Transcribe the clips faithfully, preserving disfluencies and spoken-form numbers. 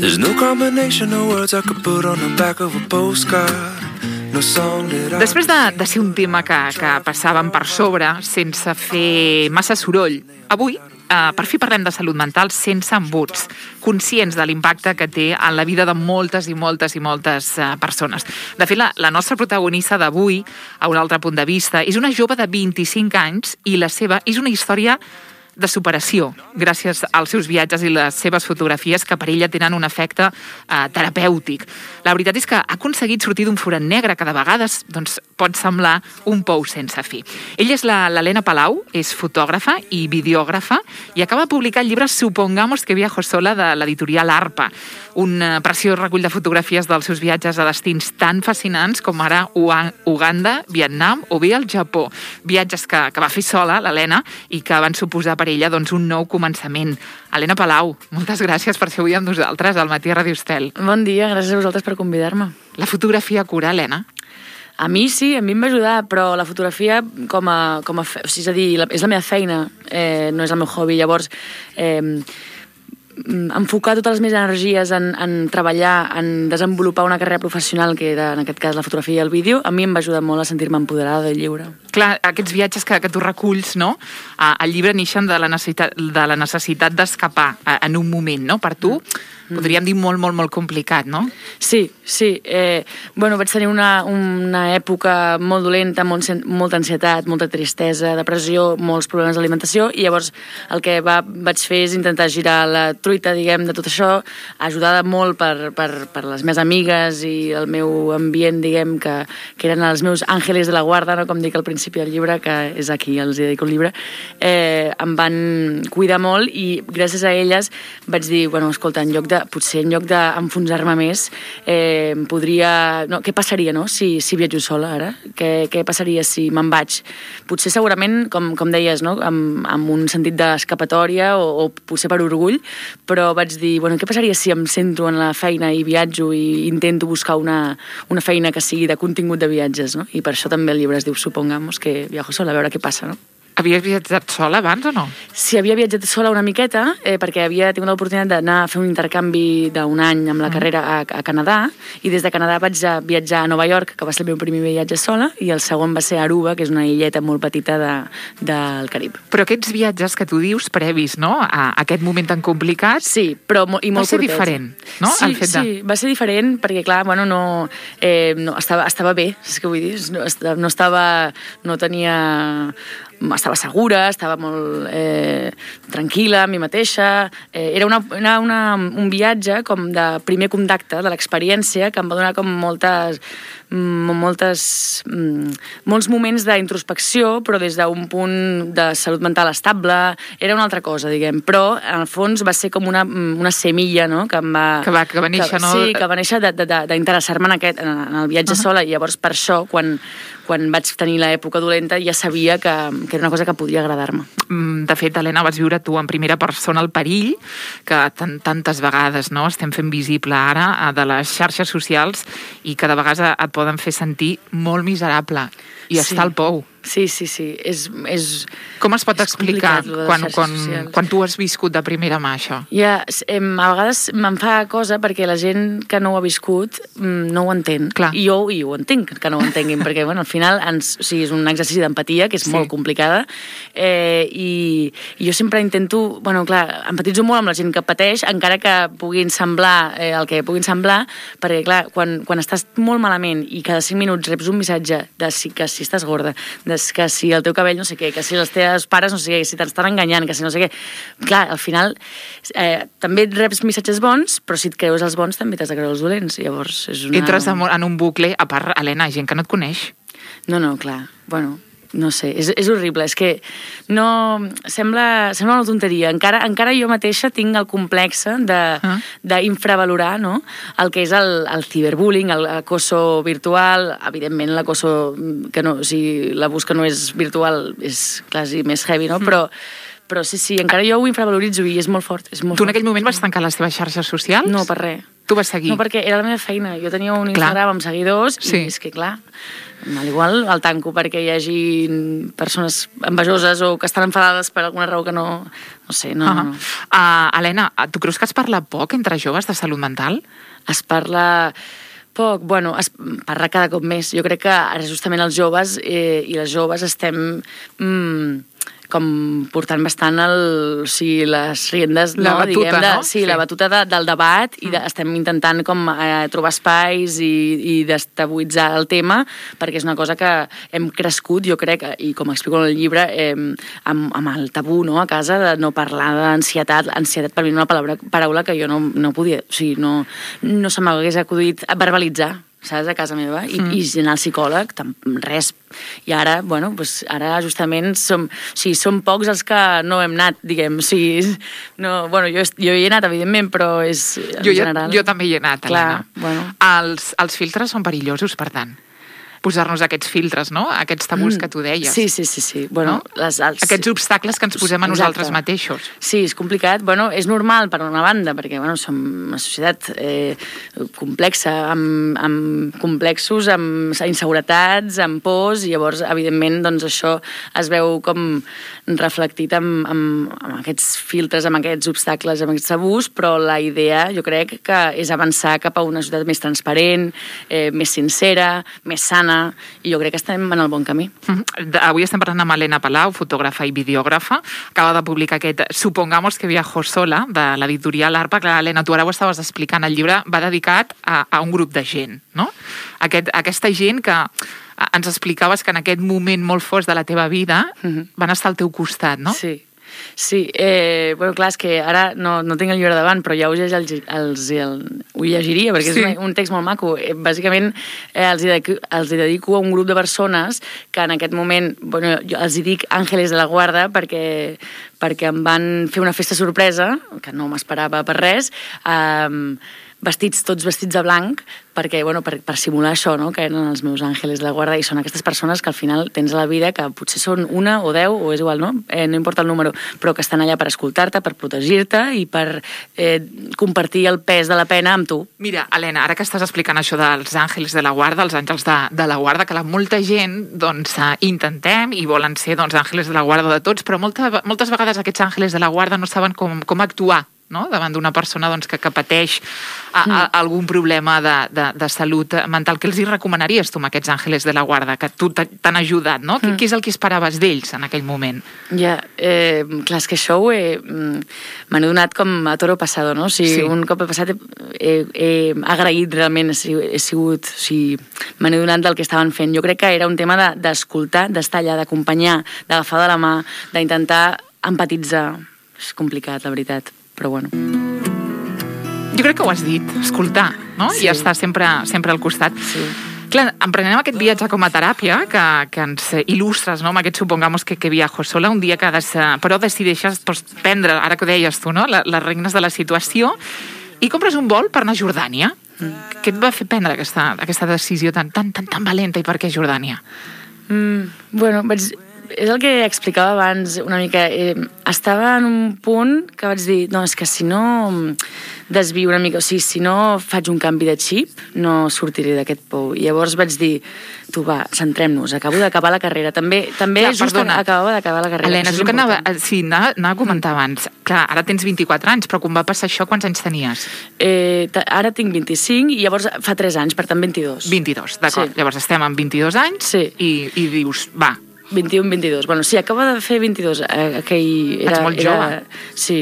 There's no combination of words I could put on the back of a postcard. No song that I... Després de, de ser un tema que, que passàvem per sobre, sense fer massa soroll, avui, eh, per fi parlem de salut mental sense embuts, conscients de l'impacte que té en la vida de moltes i moltes i moltes eh, persones. De fet, la, la nostra protagonista d'avui, a un altre punt de vista, és una jove de vint-i-cinc anys i la seva és una història de superació, gràcies als seus viatges i les seves fotografies que per ella tenen un efecte eh, terapèutic. La veritat és que ha aconseguit sortir d'un forat negre que de vegades doncs, pot semblar un pou sense fi. Ella és l'Helena Palau, és fotògrafa i videògrafa i acaba de publicar el llibre Supongamos que viajo sola de l'editorial Arpa, un eh, preciós recull de fotografies dels seus viatges a destins tan fascinants com ara Uganda, Vietnam o bé el Japó. Viatges que, que va fer sola l'Helena i que van suposar per ella doncs, un nou començament. Helena Palau, moltes gràcies per ser avui amb nosaltres al Matí a Ràdio Estel. Bon dia, gràcies a vosaltres per convidar-me. La fotografia cura, Helena? A mi sí, a mi em va ajudar, però la fotografia com a... Com a fe... És a dir, és la meva feina, eh, no és el meu hobby. Llavors, eh, enfocar totes les meves energies en, en treballar, en desenvolupar una carrera professional, que era en aquest cas la fotografia i el vídeo, a mi em va ajudar molt a sentir-me empoderada i lliure. Clar, aquests viatges que, que tu reculls, no? El llibre neixen de la necessitat, de la necessitat d'escapar en un moment, no? Per tu, mm. podríem dir molt, molt, molt complicat, no? Sí, sí. Eh, bueno, vaig tenir una, una època molt dolenta, molt, molta ansietat, molta tristesa, depressió, molts problemes d'alimentació, i llavors el que va, vaig fer és intentar girar la truita, diguem, de tot això, ajudada molt per, per, per les meves amigues i el meu ambient, diguem, que, que eren els meus àngeles de la guarda, no? Com dic al principi del llibre, que és aquí, els dedico el llibre, eh, em van cuidar molt i gràcies a elles vaig dir, bueno, escolta, en lloc de, potser en lloc d'enfonsar-me més, eh, podria... No, què passaria, no?, si, si viatjo sola ara? Què, què passaria si me'n vaig? Potser segurament, com, com deies, no?, amb, amb un sentit d'escapatòria o, o potser per orgull, però vaig dir, bueno, què passaria si em centro en la feina i viatjo i intento buscar una, una feina que sigui de contingut de viatges, no? I per això també el llibre es diu Supongamos que viajo sola, a veure què passa, no? Havies viatjat sola abans o no? Sí, havia viatjat sola una miqueta, eh, perquè havia tingut l'oportunitat d'anar a fer un intercanvi d'un any amb la mm. carrera a, a Canadà, i des de Canadà vaig a viatjar a Nova York, que va ser el meu primer viatge sola, i el segon va ser a Aruba, que és una illeta molt petita de, del Carib. Però aquests viatges que tu dius previs, no?, a aquest moment tan complicat... Sí, però mo i molt curtet. Va ser curtet. diferent, no? Sí, el fet de... sí, va ser diferent, perquè clar, bueno, no... Eh, no estava, estava bé, és que vull dir, no, no estava... no tenia... estava segura, estava molt eh, tranquil·la amb mi mateixa. Eh, era una, una, una, un viatge com de primer contacte de l'experiència que em va donar com moltes, moltes, molts moments d'introspecció, però des d'un punt de salut mental estable. Era una altra cosa, diguem. Però, en el fons, va ser com una, una semilla, no?, que em va... Que va, que va néixer, que, no? Sí, que va néixer d'interessar-me en, aquest, en el viatge uh -huh. sola, i llavors per això, quan, quan vaig tenir l'època dolenta, ja sabia que, que era una cosa que podia agradar-me. De fet, Helena, vas viure tu en primera persona el perill que tant, tantes vegades, no?, estem fent visible ara de les xarxes socials i que de vegades et poden fer sentir molt miserable i sí. estar al pou. Sí, sí, sí. És, és, Com es pot explicar quan, quan, socials. quan tu has viscut de primera mà això? Ja, a vegades me'n fa cosa perquè la gent que no ho ha viscut no ho entén. Clar. I jo, i ho entenc, que no ho entenguin, perquè bueno, al final ens, o sigui, és un exercici d'empatia que és sí. molt complicada, eh, i, i jo sempre intento, bueno, clar, empatitzo molt amb la gent que pateix, encara que puguin semblar eh, el que puguin semblar, perquè clar, quan, quan estàs molt malament i cada cinc minuts reps un missatge de si, que si estàs gorda, que si el teu cabell no sé què, que si els teus pares no sé què, que si t'estan enganyant, que si no sé què. Clar, al final eh, també reps missatges bons, però si et creus els bons també t'has de creure els dolents. Llavors és una... Entres en un bucle, a part, Helena, gent que no et coneix. No, no, clar. Bueno, no sé, és, és horrible. És que no... Sembla, sembla una tonteria. Encara, encara jo mateixa tinc el complex d'infravalorar, no?, el que és el, el ciberbullying, l'acoso virtual. Evidentment, l'acoso que no... O sigui, l'abús que no és virtual és quasi més heavy, no? Mm. Però però sí, sí, encara jo ho infravaloritzo i és molt fort. És molt tu en fort. aquell moment vas tancar les teves xarxes socials? No, per res. Tu vas seguir. No, perquè era la meva feina. Jo tenia un Instagram clar. amb seguidors sí. i és que, clar, al igual el tanco perquè hi hagi persones envejoses o que estan enfadades per alguna raó que no... No sé, no... Uh-huh. no. Uh, Helena, tu creus que es parla poc entre joves de salut mental? Es parla... Poc, bueno, es parla cada cop més. Jo crec que ara justament els joves eh, i les joves estem mm, com portant bastant el, o sigui, les riendes, la no? batuta, Diguem, de, no? Sí, sí, la batuta de, del debat i de, estem intentant com eh, trobar espais i, i destabuitzar el tema perquè és una cosa que hem crescut, jo crec, i com explico en el llibre, eh, amb, amb el tabú, no?, a casa, de no parlar d'ansietat. Ansietat per mi és una paraula, paraula que jo no, no podia, o sigui, no, no se m'hagués acudit a verbalitzar, saps, a casa meva, i, mm. i anar al psicòleg, res. I ara, bueno, pues ara justament som, o sigui, som pocs els que no hem anat, diguem, o sigui, no, bueno, jo, jo hi he anat, evidentment, però és en jo, general... Jo, jo també hi he anat, clar, Helena. Bueno. Els, els filtres són perillosos, per tant. Posar-nos aquests filtres, no? Aquests tabús mm. que tu deies. Sí, sí, sí. sí. Bueno, no? les, els... Aquests obstacles que ens posem a Exacte. nosaltres mateixos. Sí, és complicat. Bueno, és normal, per una banda, perquè bueno, som una societat eh, complexa, amb, amb complexos, amb inseguretats, amb pors, i llavors, evidentment, doncs, això es veu com reflectit amb, amb, amb aquests filtres, amb aquests obstacles, amb aquests tabús, però la idea, jo crec, que és avançar cap a una societat més transparent, eh, més sincera, més sana, i jo crec que estem en el bon camí. Mm-hmm. Avui estem parlant amb Helena Palau, fotògrafa i videògrafa. Acaba de publicar aquest Supongamos que viajo sola, de l'editorial Arpa. Clar, Helena, tu ara ho estaves explicant, el llibre va dedicat a, a un grup de gent, no? Aquest, aquesta gent que ens explicaves que en aquest moment molt fort de la teva vida mm-hmm. van estar al teu costat, no? Sí. Sí, eh, bueno, clar, és que ara no, no tinc el llibre davant, però ja us els, els, el, ho llegiria, perquè sí. és un, un text molt maco. Eh, bàsicament, eh, els, dedico, els dedico a un grup de persones que en aquest moment, bueno, jo els hi dic àngeles de la guarda, perquè, perquè em van fer una festa sorpresa, que no m'esperava per res, eh, vestits, tots vestits de blanc, perquè, bueno, per, per simular això, no?, que eren els meus àngeles de la guarda, i són aquestes persones que al final tens a la vida, que potser són una o deu, o és igual, no?, eh, no importa el número, però que estan allà per escoltar-te, per protegir-te i per eh, compartir el pes de la pena amb tu. Mira, Helena, ara que estàs explicant això dels àngels de la guarda, els àngels de, de la guarda, que la molta gent, doncs, intentem i volen ser, doncs, àngels de la guarda de tots, però molta, moltes vegades aquests àngels de la guarda no saben com, com actuar, no?, davant d'una persona doncs, que, que pateix a, a, algun problema de, de, de salut mental. Què els hi recomanaries tu amb aquests àngeles de la guarda, que tu t'han ajudat, no? Mm. Què és el que esperaves d'ells en aquell moment? Ja, eh, clar, és que això ho he... m'han donat com a toro passado, no? O sigui, sí. Un cop he passat he, he, he agraït realment, he sigut... O sigui, m'han donat del que estaven fent. Jo crec que era un tema d'escoltar, de, d'estar allà, d'acompanyar, d'agafar de la mà, d'intentar empatitzar. És complicat, la veritat. Però bueno. Jo crec que ho has dit, escoltar, no? Sí. I estar sempre, sempre al costat. Sí. Clar, emprenem aquest viatge com a teràpia que, que ens il·lustres, no?, amb aquest supongamos que, que viajo sola, un dia que has, però decideixes doncs, prendre, ara que ho deies tu, no?, les, les regnes de la situació, i compres un vol per anar a Jordània. Mm. Què et va fer prendre aquesta, aquesta decisió tan, tan, tan, tan valenta, i per què Jordània? Mm, bueno, vaig... és el que explicava abans una mica. Eh, estava en un punt que vaig dir, no, és que si no desvio una mica, o sigui, si no faig un canvi de xip, no sortiré d'aquest pou. I llavors vaig dir, tu va, centrem-nos, acabo d'acabar la carrera. També, també clar, just perdona. acabava d'acabar la carrera. Helena, és el que anava, sí, anava, anava a comentar abans. Clar, ara tens vint-i-quatre anys, però quan va passar això, quants anys tenies? Eh, ara tinc vint-i-cinc i llavors fa tres anys, per tant vint-i-dos. vint-i-dos, d'acord. Sí. Llavors estem amb vint-i-dos anys sí. i, i dius, va, vint-i-un vint-i-dos. Bueno, sí, acaba de fer vint-i-dos. Eh, aquell era, Ets molt era, jove. Sí.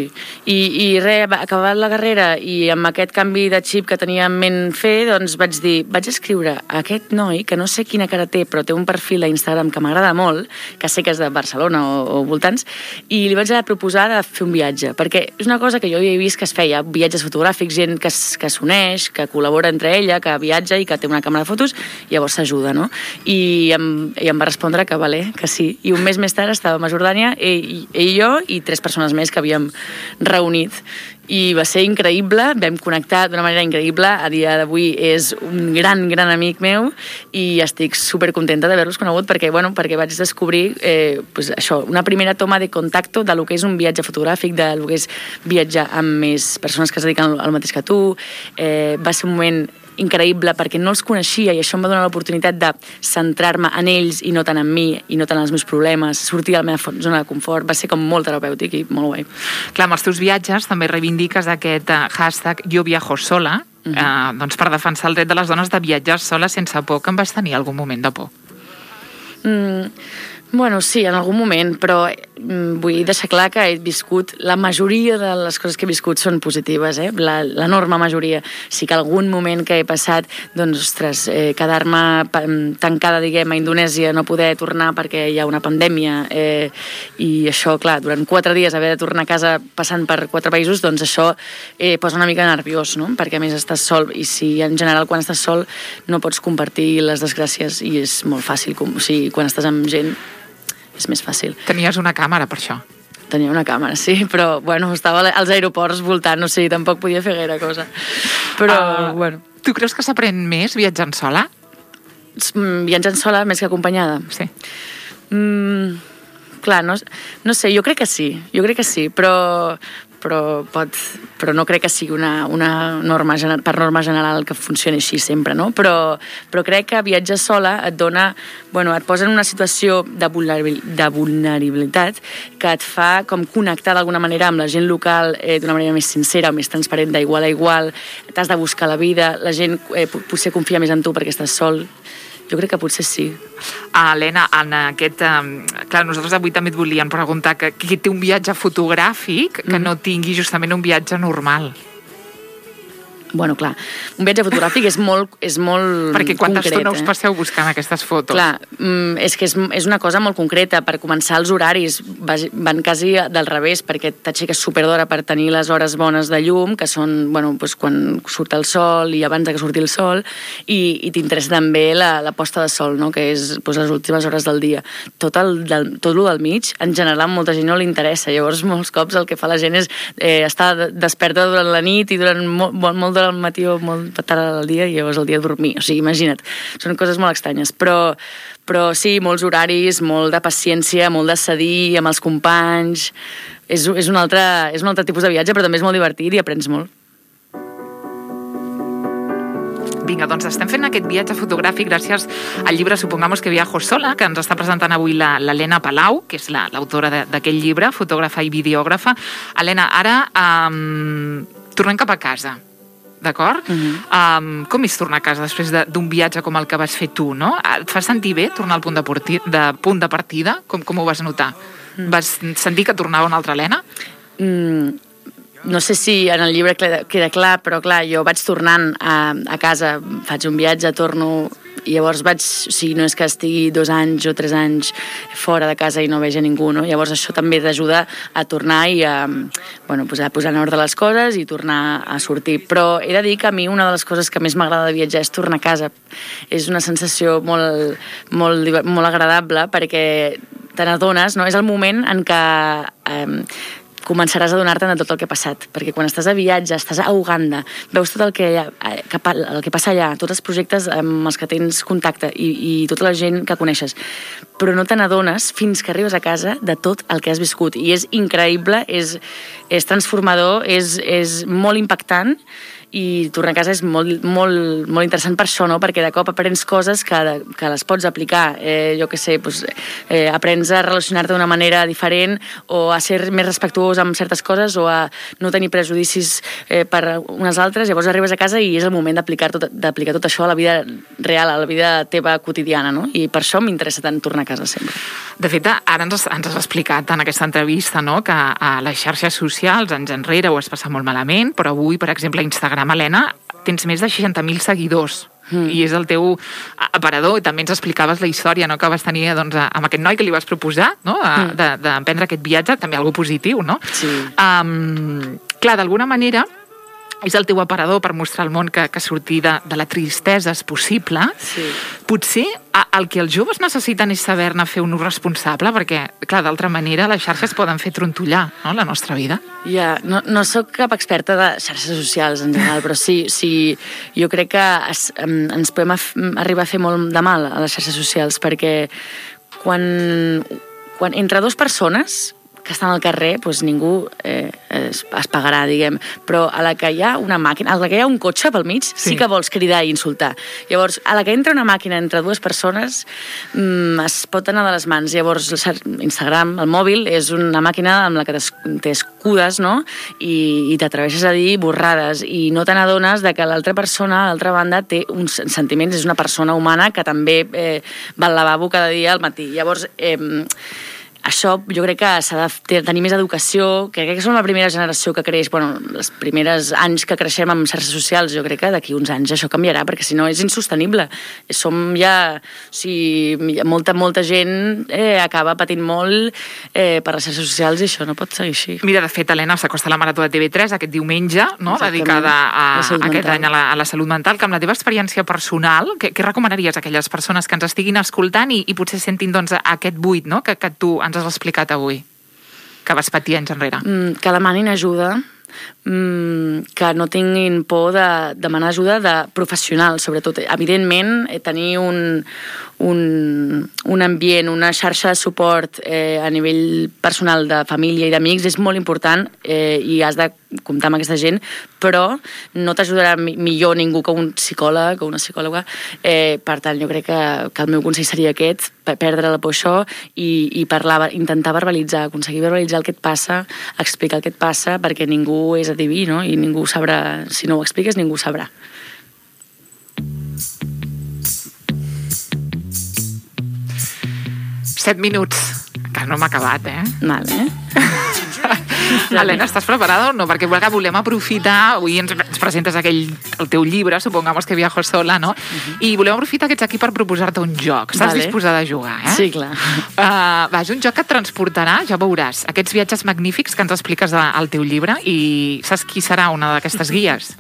I, i res, acabat la carrera i amb aquest canvi de xip que tenia en ment fer, doncs vaig dir, vaig escriure a aquest noi, que no sé quina cara té, però té un perfil a Instagram que m'agrada molt, que sé que és de Barcelona o, o voltants, i li vaig proposar de fer un viatge, perquè és una cosa que jo havia vist que es feia, viatges fotogràfics, gent que, que s'uneix, que col·labora entre ella, que viatja i que té una càmera de fotos, i llavors s'ajuda, no? I em, i em va respondre que, vale, que sí. I un mes més tard estàvem a Jordània, ell, ell i jo, i tres persones més que havíem reunit. I va ser increïble, vam connectar d'una manera increïble. A dia d'avui és un gran, gran amic meu i estic supercontenta d'haver-los conegut perquè, bueno, perquè vaig descobrir eh, pues això, una primera toma de contacte de lo que és un viatge fotogràfic, de lo que és viatjar amb més persones que es dediquen al mateix que tu. Eh, va ser un moment increïble perquè no els coneixia i això em va donar l'oportunitat de centrar-me en ells i no tant en mi i no tant en els meus problemes, sortir de la meva zona de confort. Va ser com molt terapèutic i molt guai. Clar, amb els teus viatges també reivindiques aquest uh, hashtag Jo viajo sola, uh-huh. uh, doncs per defensar el dret de les dones de viatjar sola sense por, que en vas tenir algun moment de por. Mm, bueno, sí, en algun moment, però mm, vull deixar clar que he viscut, la majoria de les coses que he viscut són positives, eh? l'enorme majoria. Sí que algun moment que he passat, doncs, ostres, eh, quedar-me tancada, diguem, a Indonèsia, no poder tornar perquè hi ha una pandèmia, eh, i això, clar, durant quatre dies haver de tornar a casa passant per quatre països, doncs això eh, posa una mica nerviós, no? Perquè a més estàs sol, i si en general quan estàs sol no pots compartir les desgràcies i és molt fàcil, com, o sigui, quan estàs amb gent és més fàcil. Tenies una càmera per això? Tenia una càmera, sí, però bueno, estava als aeroports voltant, o sigui, tampoc podia fer gaire cosa. Però, uh, bueno. Tu creus que s'aprèn més viatjant sola? Viatjant sola més que acompanyada? Sí. Mm, clar, no, no sé, jo crec que sí, jo crec que sí, però, però, pot, però no crec que sigui una, una norma, per norma general que funcioni així sempre, no? Però, però crec que viatjar sola et dona, bueno, et posa en una situació de, de vulnerabilitat que et fa com connectar d'alguna manera amb la gent local eh, d'una manera més sincera o més transparent, d'igual a igual. T'has de buscar la vida, la gent eh, potser confia més en tu perquè estàs sol. Jo crec que potser sí. Ah, Helena, en aquest... Eh, clar, nosaltres avui també et volíem preguntar que qui té un viatge fotogràfic que mm. no tingui justament un viatge normal. Bueno, clar, un viatge fotogràfic és molt, és molt Perquè quanta concret, estona us eh? passeu buscant aquestes fotos? Clar, és que és, és una cosa molt concreta. Per començar, els horaris van quasi del revés, perquè t'aixeques superdora per tenir les hores bones de llum, que són, bueno, doncs quan surt el sol i abans que surti el sol, i, i t'interessa també la, la posta de sol, no? Que és doncs, les últimes hores del dia. Tot el del, tot el del mig, en general, a molta gent no li interessa. Llavors, molts cops el que fa la gent és eh, estar desperta durant la nit i durant molt, molt al matí o molt tard al dia i llavors el dia dormir. O sigui, imagina't, són coses molt estranyes. Però, però sí, molts horaris, molt de paciència, molt de cedir amb els companys. És, és, un altre, és un altre tipus de viatge, però també és molt divertit i aprens molt. Vinga, doncs estem fent aquest viatge fotogràfic gràcies al llibre Supongamos que viajo sola, que ens està presentant avui l'Helena Palau, que és l'autora d'aquest llibre, fotògrafa i videògrafa. Helena, ara um, tornem cap a casa. D'acord? Uh-huh. Um, com és tornar a casa després d'un de, viatge com el que vas fer tu, no? Et fa sentir bé tornar al punt de, porti, de, punt de partida? Com, com ho vas notar? Uh-huh. Vas sentir que tornava una altra Helena? Mm, no sé si en el llibre queda clar, però clar, jo vaig tornant a, a casa, faig un viatge, torno... I llavors vaig, o sigui, no és que estigui dos anys o tres anys fora de casa i no veig a ningú, no? Llavors això també t'ajuda a tornar i a, bueno, pues a posar en ordre les coses i tornar a sortir. Però he de dir que a mi una de les coses que més m'agrada de viatjar és tornar a casa. És una sensació molt, molt, molt agradable perquè te n'adones, no? És el moment en què... Eh, començaràs a donar-te de tot el que ha passat, perquè quan estàs a viatge, estàs a Uganda, veus tot el que, el que passa allà, tots els projectes amb els que tens contacte i, i tota la gent que coneixes, però no te n'adones fins que arribes a casa de tot el que has viscut, i és increïble, és, és transformador, és, és molt impactant, i tornar a casa és molt, molt, molt interessant per això, no? Perquè de cop aprens coses que, que les pots aplicar. Eh, jo què sé, doncs, eh, aprens a relacionar-te d'una manera diferent o a ser més respectuós amb certes coses o a no tenir prejudicis eh, per unes altres. Llavors arribes a casa i és el moment d'aplicar tot, d'aplicar tot això a la vida real, a la vida teva quotidiana, no? I per això m'interessa tant tornar a casa sempre. De fet, ara ens, ens has explicat en aquesta entrevista, no?, que a les xarxes socials anys enrere ho has passat molt malament, però avui, per exemple, a Instagram, Helena, tens més de seixanta mil seguidors. Mm. I és el teu aparador, i també ens explicaves la història, no?, que vas tenir, doncs, amb aquest noi que li vas proposar, no?, mm. d'emprendre aquest viatge, també algo positiu, no? Sí. Um, clar, d'alguna manera, és el teu aparador per mostrar al món que, que sortir de, de la tristesa és possible. Sí. Potser a, el que els joves necessiten és saber-ne fer un ús responsable, perquè, clar, d'altra manera les xarxes poden fer trontollar, no?, la nostra vida. Ja, no, no sóc cap experta de xarxes socials en general, però sí, sí jo crec que es, ens podem af, arribar a fer molt de mal a les xarxes socials, perquè quan, quan entre dues persones que estan al carrer, doncs ningú eh, es, es pagarà, diguem. Però a la que hi ha una màquina, a la que hi ha un cotxe pel mig, sí, sí que vols cridar i insultar. Llavors, a la que entra una màquina entre dues persones, mmm, es pot anar de les mans. Llavors, Instagram, el mòbil, és una màquina amb la que t'escudes, no?, i, i t'atreveixes a dir borrades, i no te n'adones de que l'altra persona, a l'altra banda, té uns sentiments, és una persona humana que també eh, va al lavabo cada dia al matí. Llavors, eh, això jo crec que s'ha de tenir més educació, que crec que som la primera generació que creix, bueno, els primers anys que creixem amb xarxes socials, jo crec que d'aquí uns anys això canviarà, perquè si no és insostenible. Som ja, o sigui, molta, molta gent eh, acaba patint molt eh, per les xarxes socials i això no pot seguir així. Mira, de fet, Helena, s'acosta la Marató de T V tres aquest diumenge, no?, dedicada a, a aquest any a la, a la salut mental, que amb la teva experiència personal, què, què recomanaries a aquelles persones que ens estiguin escoltant i, i potser sentin, doncs, aquest buit, no?, que, que tu ens has explicat avui, que vas patir anys enrere? Mm, que demanin ajuda, mm, que no tinguin por de demanar ajuda de professionals, sobretot. Evidentment, tenir un, un, un ambient, una xarxa de suport eh, a nivell personal de família i d'amics és molt important eh, i has de comptar amb aquesta gent, però no t'ajudarà millor ningú que un psicòleg o una psicòloga. Eh, per tant, jo crec que, que el meu consell seria aquest, perdre la por això i, i parlar, intentar verbalitzar, aconseguir verbalitzar el que et passa, explicar el que et passa, perquè ningú és adiví, no?, i ningú sabrà, si no ho expliques, ningú sabrà. Set minuts. Encara no hem acabat, eh? Vale. Helena, estàs preparada o no? Perquè volem aprofitar, avui ens, ens presentes aquell, el teu llibre, supongamos que viajo sola, no? Uh-huh. I volem aprofitar que ets aquí per proposar-te un joc. Estàs vale. disposada a jugar, eh? Sí, clar. Uh, va, és un joc que et transportarà, ja veuràs, aquests viatges magnífics que ens expliques de, al teu llibre, i saps qui serà una d'aquestes guies?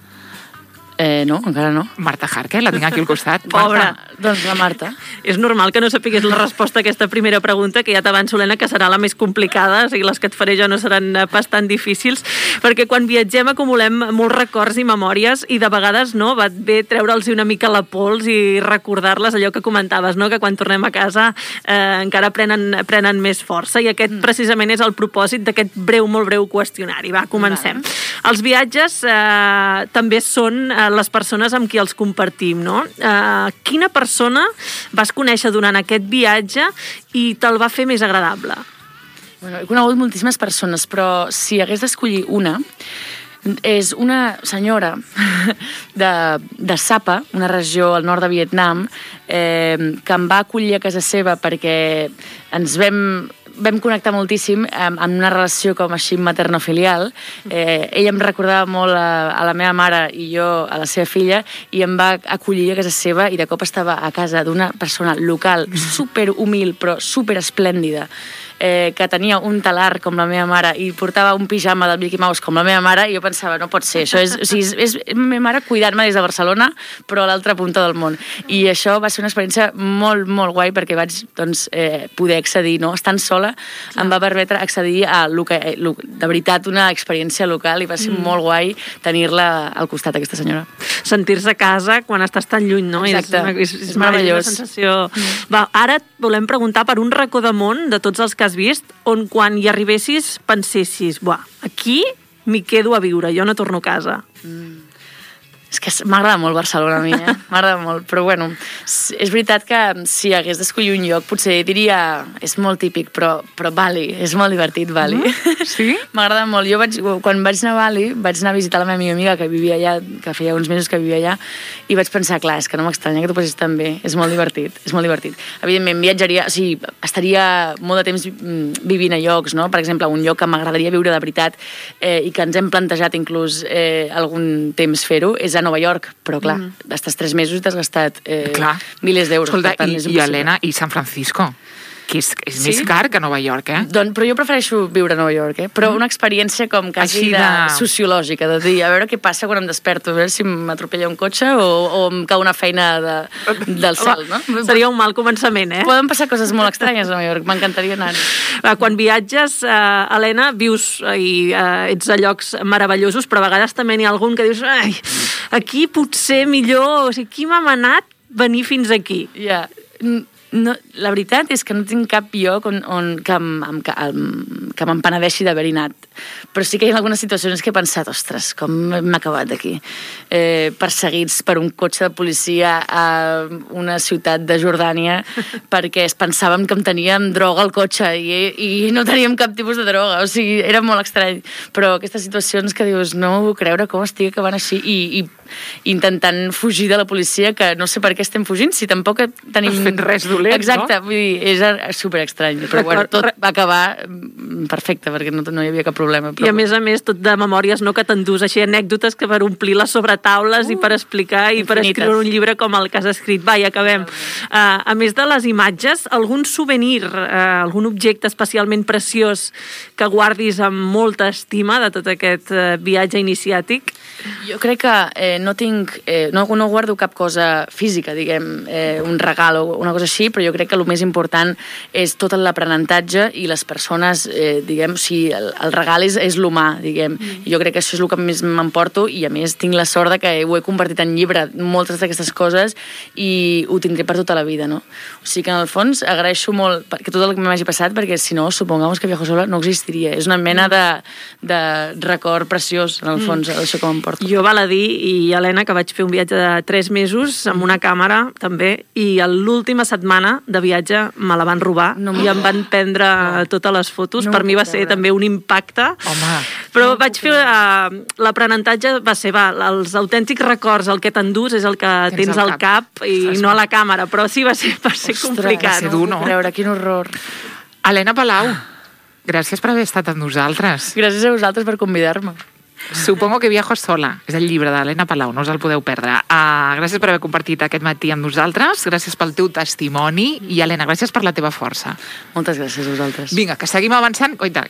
Eh, no, encara no. Marta Harque, la tinc aquí al costat. Pobra, doncs la Marta. És normal que no sapigués la resposta a aquesta primera pregunta, que ja t'avanço, Helena, que serà la més complicada, o sigui, les que et faré jo no seran pas tan difícils, perquè quan viatgem acumulem molts records i memòries i de vegades no, va bé treure'ls una mica la pols i recordar-les, allò que comentaves, no? Que quan tornem a casa eh, encara prenen, prenen més força, i aquest mm. precisament és el propòsit d'aquest breu, molt breu qüestionari. Va, comencem. Vale. Els viatges eh, també són eh, les persones amb qui els compartim, no? Uh, quina persona vas conèixer durant aquest viatge i te'l va fer més agradable? Bueno, he conegut moltíssimes persones, però si hagués d'escollir una, és una senyora de, de Sapa, una regió al nord de Vietnam, eh, que em va acollir a casa seva perquè ens vam... vam connectar moltíssim amb una relació com així materno-filial. Eh, ella em recordava molt a, a la meva mare i jo a la seva filla, i em va acollir a casa seva, i de cop estava a casa d'una persona local super humil però super esplèndida, eh, que tenia un talar com la meva mare i portava un pijama del Mickey Mouse com la meva mare, i jo pensava, no pot ser, això és, o sigui, és, és la meva mare cuidant-me des de Barcelona però a l'altra punta del món. I això va ser una experiència molt, molt guai, perquè vaig doncs, eh, poder accedir, no? Estant sola em va permetre accedir a lo que, lo, de veritat, una experiència local, i va ser mm. molt guai tenir-la al costat, aquesta senyora. Sentir-se a casa quan estàs tan lluny, no? Exacte, és, és, és meravellós. Una sensació... Mm. Va, ara et volem preguntar per un racó de món de tots els que has vist, on quan hi arribessis pensessis, buah, aquí m'hi quedo a viure, jo no torno a casa. Mm. És que m'agrada molt Barcelona a mi, eh? M'agrada molt, però bueno, és veritat que si hagués d'escollir un lloc potser diria, és molt típic, però, però Bali, és molt divertit Bali. Mm? Sí? M'agrada molt. Jo vaig, quan vaig anar a Bali vaig anar a visitar la meva millor amiga que vivia allà, que feia uns mesos que vivia allà, i vaig pensar, clar, és que no m'estranya que tu passis tan bé, és molt divertit, és molt divertit. Evidentment, viatjaria, o sigui, estaria molt de temps vivint a llocs, no? Per exemple, un lloc que m'agradaria viure de veritat eh, i que ens hem plantejat inclús eh, algun temps fer-ho, és a Nova York, però clar, mm. estàs tres mesos i t'has gastat eh, milers d'euros. Escolta, i, i Helena, i San Francisco? Que és, és Sí? més car que Nova York, eh? Doncs, però jo prefereixo viure a Nova York, eh? Però una experiència com quasi Així de... de- sociològica, de dir, a veure què passa quan em desperto, a veure si m'atropella un cotxe o, o em cau una feina de, del cel, no? Seria un mal començament, eh? Poden passar coses molt estranyes a Nova York, m'encantaria anar. Eh, Quan viatges, eh, Helena, vius eh, i eh, ets a llocs meravellosos, però a vegades també n'hi ha algun que dius ai, aquí potser millor, o sigui, qui m'ha manat venir fins aquí? Ja, no, la veritat és que no tinc cap lloc on, on que, em, em, que, em, que m'empenedeixi d'haver-hi anat. Però sí que hi ha algunes situacions que he pensat, ostres, com m'he acabat d'aquí. Eh, perseguits per un cotxe de policia a una ciutat de Jordània perquè es pensàvem que em teníem droga al cotxe i, i no teníem cap tipus de droga. O sigui, era molt estrany. Però aquestes situacions que dius, no m'ho puc creure com estic acabant així i, i intentant fugir de la policia, que no sé per què estem fugint, si tampoc tenim... No has fet res dolent, Exacte, no? vull dir, és super estrany. Però bueno, tot va acabar perfecte, perquè no, no hi havia cap problema. Però... I a més a més, tot de memòries, no, que t'endús així anècdotes que per omplir les sobretaules uh, i per explicar i per infinites. escriure un llibre com el que has escrit. Va, i acabem. Uh, a més de les imatges, algun souvenir, uh, algun objecte especialment preciós que guardis amb molta estima de tot aquest uh, viatge iniciàtic? Jo crec que eh, no tinc... Eh, no, no guardo cap cosa física, diguem, eh, un regal o una cosa així, però jo crec que el més important és tot l'aprenentatge i les persones, eh, diguem, o sigui, el, el regal és, és l'humà, diguem. Mm. Jo crec que això és el que més m'emporto i, a més, tinc la sort de que ho he convertit en llibre, moltes d'aquestes coses, i ho tindré per tota la vida, no? O sigui que, en el fons, agraeixo molt que tot el que m'hagi passat, perquè, si no, supongamos que Viajo Sola no existiria. És una mena de, de record preciós, en el fons, mm. això que m'emporto. Jo val a dir, i Helena, que vaig fer un viatge de tres mesos amb una càmera, també, i l'última setmana de viatge me la van robar no i em van prendre no. totes les fotos. No per mi va puc ser creure. també un impacte. Home. Però no vaig fer... Uh, l'aprenentatge va ser, va, els autèntics records, el que t'endús és el que tens, Tens al al cap, cap. i Saps? no a la càmera, però sí va ser, va ser Ostres, complicat. va ser dur, no? puc creure, quin horror. Helena Palau, gràcies per haver estat amb nosaltres. Gràcies a vosaltres per convidar-me. Supongo que Viajo Sola és el llibre d'Helena Palau, no us el podeu perdre. Uh, gràcies per haver compartit aquest matí amb nosaltres, gràcies pel teu testimoni i, Helena, gràcies per la teva força. Moltes gràcies a vosaltres. Vinga, que seguim avançant. Oita,